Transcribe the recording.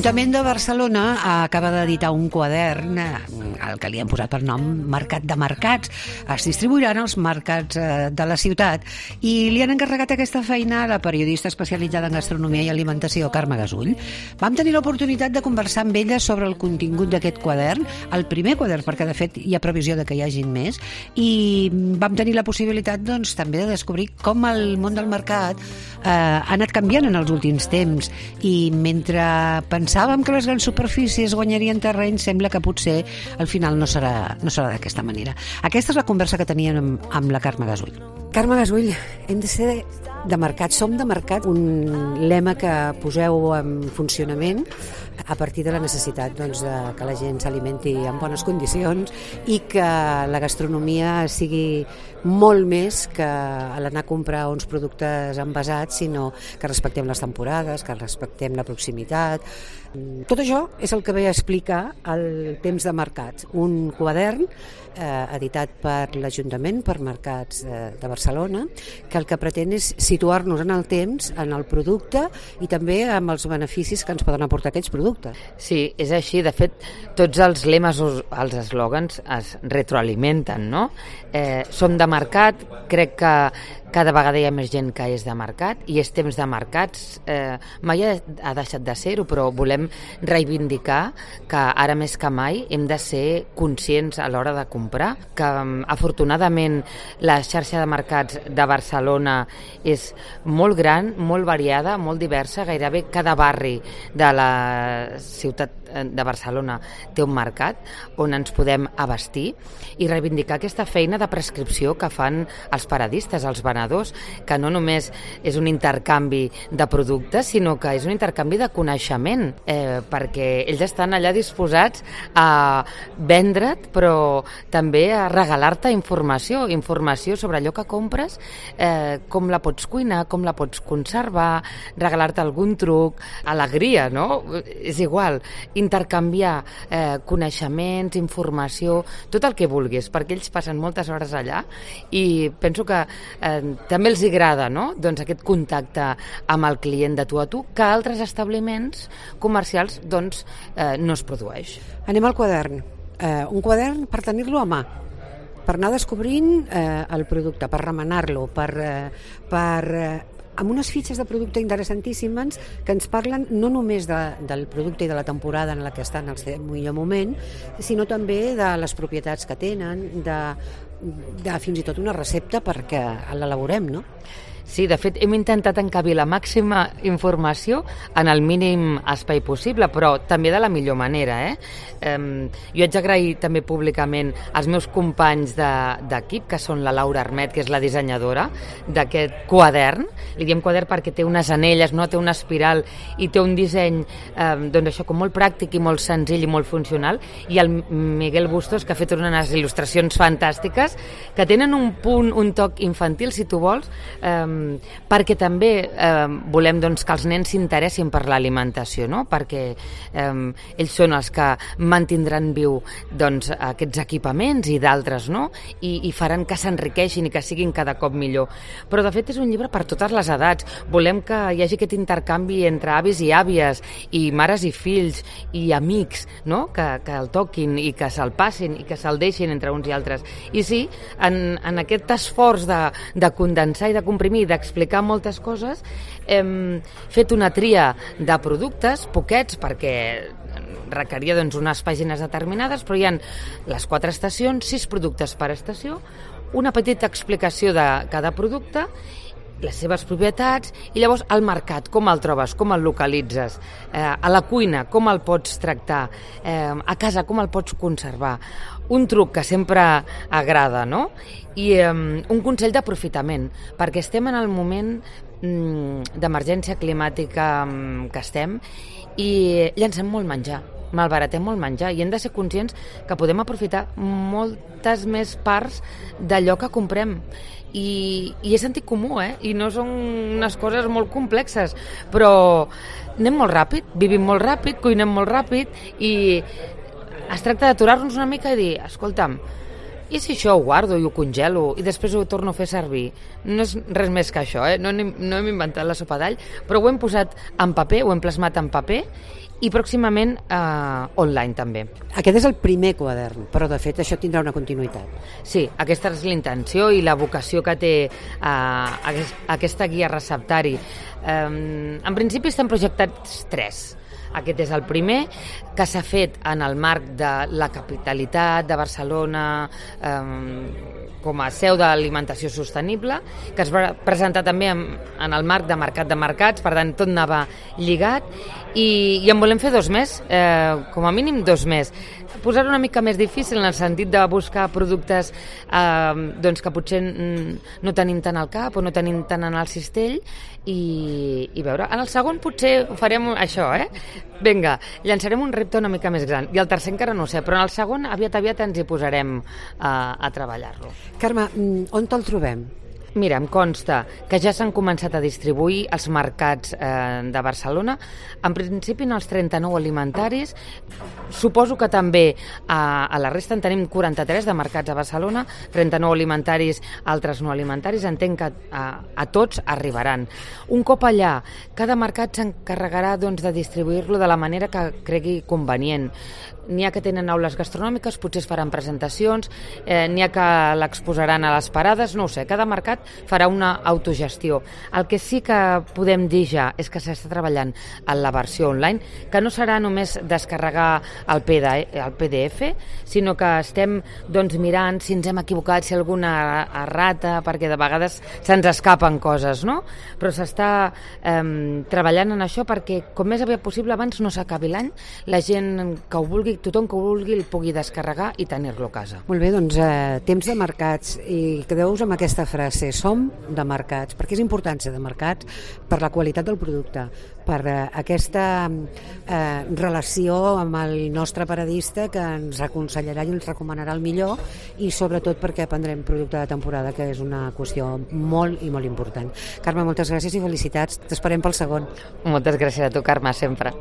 L'Ajuntament de Barcelona acaba d'editar un quadern al que li han posat per nom Mercat de Mercats. Es distribuiran als mercats de la ciutat i li han encarregat aquesta feina a la periodista especialitzada en gastronomia i alimentació, Carme Gasull. Vam tenir l'oportunitat de conversar amb ella sobre el contingut d'aquest quadern, el primer quadern, perquè de fet hi ha previsió de que hi hagin més, i vam tenir la possibilitat doncs, també de descobrir com el món del mercat ha anat canviant en els últims temps, i mentre pensàvem que les grans superfícies guanyarien terreny, sembla que potser al final no serà d'aquesta manera. Aquesta és la conversa que teníem amb la Carme Gasull. Carme Gasull, hem de ser de mercat, som de mercat, un lema que poseu en funcionament a partir de la necessitat doncs, que la gent s'alimenti en bones condicions i que la gastronomia sigui molt més que l'anar a comprar uns productes envasats, sinó que respectem les temporades, que respectem la proximitat. Tot això és el que ve a explicar el Temps de Mercats, un quadern editat per l'Ajuntament, per Mercats de Barcelona, que el que pretén és situar-nos en el temps, en el producte i també amb els beneficis que ens poden aportar aquests productes. Sí, és així. De fet, tots els lemes o els eslògans es retroalimenten, no? Som de mercat, crec que cada vegada hi ha més gent que és de mercat i és temps de mercats. Mai ha deixat de ser-ho, però volem reivindicar que ara més que mai hem de ser conscients a l'hora de comprar, que afortunadament la xarxa de mercats de Barcelona és molt gran, molt variada, molt diversa. Gairebé cada barri de la ciutat de Barcelona té un mercat on ens podem abastir i reivindicar aquesta feina de prescripció que fan els paradistes, els venedors, que no només és un intercanvi de productes, sinó que és un intercanvi de coneixement, perquè ells estan allà disposats a vendre't, però també a regalar-te informació sobre allò que compres, com la pots cuinar, com la pots conservar, regalar-te algun truc, alegria, no? És igual, intercanviar coneixements, informació, tot el que vulguis, perquè ells passen moltes hores allà i penso que també els agrada, no? Doncs aquest contacte amb el client de tu a tu, que altres establiments comercials doncs, no es produeix. Anem al quadern. Un quadern per tenir-lo a mà, per anar descobrint el producte, per remenar-lo, amb unes fitxes de producte interessantíssimes que ens parlen no només del producte i de la temporada en la que està en el seu millor moment, sinó també de les propietats que tenen, de fins i tot una recepta perquè l'elaborem, no? Sí, de fet, hem intentat encabir la màxima informació en el mínim espai possible, però també de la millor manera. Jo haig d'agrair també públicament als meus companys d'equip, que són la Laura Armet, que és la dissenyadora d'aquest quadern. Li diem quadern perquè té unes anelles, no? Té una espiral i té un disseny doncs això, com molt pràctic i molt senzill i molt funcional, i el Miguel Bustos, que ha fet unes il·lustracions fantàstiques que tenen un punt, un toc infantil, si tu vols, perquè també volem doncs, que els nens s'interessin per l'alimentació, no? Perquè ells són els que mantindran viu doncs, aquests equipaments i d'altres, no? I faran que s'enriqueixin i que siguin cada cop millor. Però de fet és un llibre per totes les edats. Volem que hi hagi aquest intercanvi entre avis i àvies i mares i fills i amics, no? Que el toquin i que se'l passin i que se'l deixin entre uns i altres. I sí, en aquest esforç de condensar i de comprimir, d'explicar moltes coses, hem fet una tria de productes, poquets, perquè requeria doncs, unes pàgines determinades, però hi ha les 4 estacions, 6 productes per estació, una petita explicació de cada producte, les seves propietats, i llavors al mercat, com el trobes, com el localitzes, a la cuina, com el pots tractar, a casa, com el pots conservar. Un truc que sempre agrada, no? I un consell d'aprofitament, perquè estem en el moment d'emergència climàtica que estem i llancem molt menjar, malbaratem molt menjar, i hem de ser conscients que podem aprofitar moltes més parts d'allò que comprem. I és sentit comú, i no són unes coses molt complexes, però anem molt ràpid, vivim molt ràpid, cuinem molt ràpid, i es tracta d'aturar-nos una mica i dir, escolta'm, I si això ho guardo i ho congelo i després ho torno a fer servir? No és res més que això, no hem inventat la sopa d'all, però ho hem posat en paper, ho hem plasmat en paper i pròximament online també. Aquest és el primer quadern, però de fet això tindrà una continuïtat. Sí, aquesta és l'intenció i la vocació que té aquesta guia receptari. En principi estan projectats 3. Aquest és el primer, que s'ha fet en el marc de la capitalitat de Barcelona com a seu d'alimentació sostenible, que es va presentar també en el marc de Mercat de Mercats, per tant tot anava lligat, i en volem fer 2 més, com a mínim 2 més. Posar una mica més difícil en el sentit de buscar productes que potser no tenim tant al cap o no tenim tant en el cistell i veure, en el segon potser ho farem això, Vinga, llançarem un repte una mica més gran i el tercer encara no ho sé, però en el segon aviat ens hi posarem a treballar-lo. Carme, on te'l trobem? Mira, em consta que ja s'han començat a distribuir als mercats de Barcelona, en principi en els 39 alimentaris, suposo que també a la resta en tenim 43 de mercats a Barcelona, 39 alimentaris, altres no alimentaris, entenc que a tots arribaran. Un cop allà, cada mercat s'encarregarà de distribuir-lo de la manera que cregui convenient. N'hi ha que tenen aules gastronòmiques, potser es faran presentacions, n'hi ha que l'exposaran a les parades, no ho sé, cada mercat farà una autogestió. El que sí que podem dir ja és que s'està treballant en la versió online, que no serà només descarregar el PDF, sinó que estem mirant si ens hem equivocat, si alguna errata, perquè de vegades se'ns escapen coses, no? Però s'està treballant en això perquè com més aviat possible abans no s'acabi l'any, la gent que ho vulgui, tothom que ho vulgui el pugui descarregar i tenir-lo a casa. Molt bé, doncs temps de mercats, i quedeu-vos amb aquesta frase, som de mercats, perquè és important ser de mercats per la qualitat del producte, per aquesta relació amb el nostre paradista que ens aconsellarà i ens recomanarà el millor, i sobretot perquè prendrem producte de temporada, que és una qüestió molt i molt important. Carme, moltes gràcies i felicitats, t'esperem pel segon. Moltes gràcies a tu, Carme, sempre.